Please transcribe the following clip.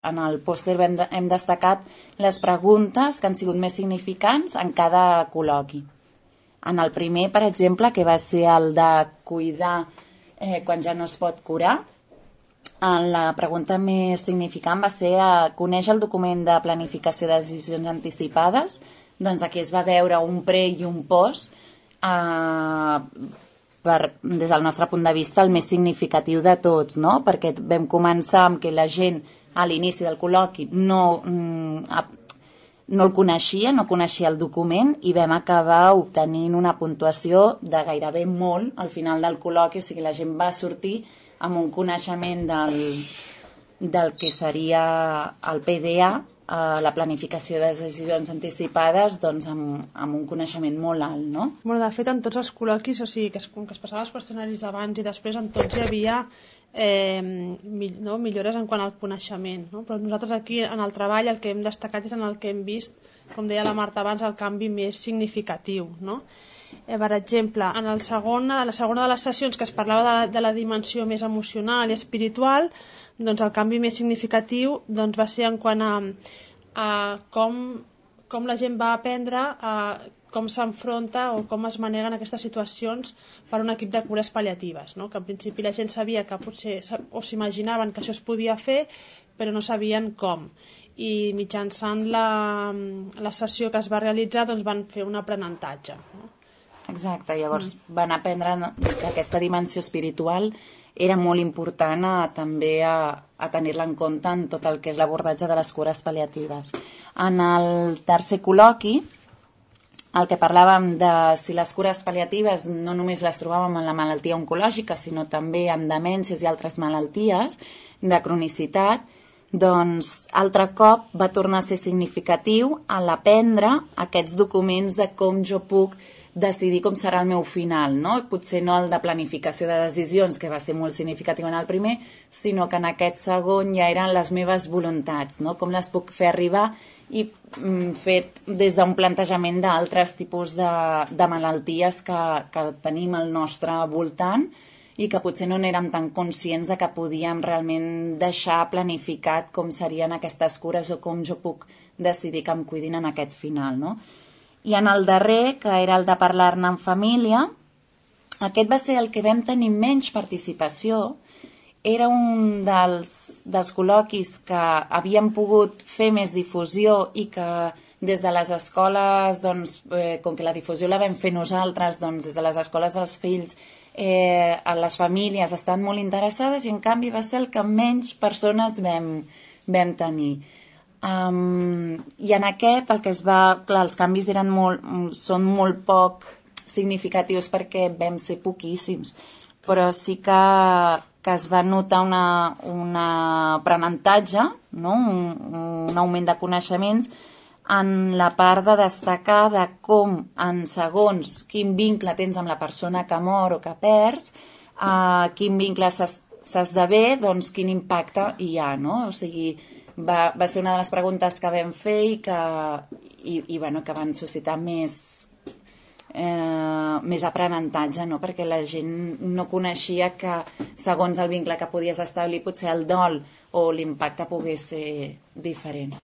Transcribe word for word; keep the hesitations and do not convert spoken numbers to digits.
En el pòster hem, de, hem destacat les preguntes que han sigut més significants en cada col·loqui. En el primer, per exemple, que va ser el de cuidar eh, quan ja no es pot curar, la pregunta més significant va ser eh, conèixer el document de planificació de decisions anticipades. Doncs aquí es va veure un pre i un post, eh, per, des del nostre punt de vista, el més significatiu de tots, no? Perquè vam començar amb que la gent a l'inici del col·loqui no, no el coneixia, no coneixia el document, i vam acabar obtenint una puntuació de gairebé molt al final del col·loqui, o sigui, la gent va sortir amb un coneixement del, del que seria el P D A, eh, la planificació de decisions anticipades, doncs amb, amb un coneixement molt alt, no? Bueno, de fet, en tots els col·loquis, o sigui, que es, que es passaven els qüestionaris abans i després, en tots hi havia eh, no, millores en quant al coneixement, no? Però nosaltres aquí, en el treball, el que hem destacat és en el que hem vist, com deia la Marta abans, el canvi més significatiu, no? Eh, per exemple, en el segon, la segona de les sessions que es parlava de, de la dimensió més emocional i espiritual, doncs el canvi més significatiu doncs, va ser en quant a, a com, com la gent va aprendre a com s'enfronta o com es maneguen aquestes situacions per un equip de cures pal·liatives, no? Que en principi la gent sabia que potser o s'imaginaven que això es podia fer, però no sabien com. I mitjançant la, la sessió que es va realitzar doncs van fer un aprenentatge, no? Exacte, llavors mm. van aprendre que aquesta dimensió espiritual era molt important a, també a, a tenir-la en compte en tot el que és l'abordatge de les cures pal·liatives. En el tercer col·loqui, el que parlàvem de si les cures pal·liatives no només les trobàvem en la malaltia oncològica, sinó també en demències i altres malalties de cronicitat, doncs altre cop va tornar a ser significatiu a l'aprendre aquests documents de com jo puc decidir com serà el meu final, no? Potser no el de planificació de decisions, que va ser molt significatiu en el primer, sinó que en aquest segon ja eren les meves voluntats, no? Com les puc fer arribar i mm, fet des d'un plantejament d'altres tipus de, de malalties que, que tenim al nostre voltant i que potser no n'érem tan conscients de que podíem realment deixar planificat com serien aquestes cures o com jo puc decidir que em cuidin en aquest final, no? I en el darrer, que era el de parlar-ne en família, aquest va ser el que vam tenir menys participació. Era un dels, dels col·loquis que havíem pogut fer més difusió i que des de les escoles, doncs, eh, com que la difusió la vam fer nosaltres, doncs, des de les escoles dels fills, eh, les famílies estan molt interessades i en canvi va ser el que menys persones vam, vam tenir. Um, i en aquest el que es va, clar, els canvis eren molt, són molt poc significatius perquè vam ser poquíssims, però sí que, que es va notar una, una aprenentatge, no? un, un augment de coneixements en la part de destacar de com en segons quin vincle tens amb la persona que mor o que perds, uh, quin vincle s'esdevé, doncs quin impacte hi ha, no? O sigui, Va, va ser una de les preguntes que vam fer i que, i, i, bueno, que van suscitar més, eh, més aprenentatge, no? Perquè la gent no coneixia que segons el vincle que podies establir potser el dol o l'impacte pogués ser diferent.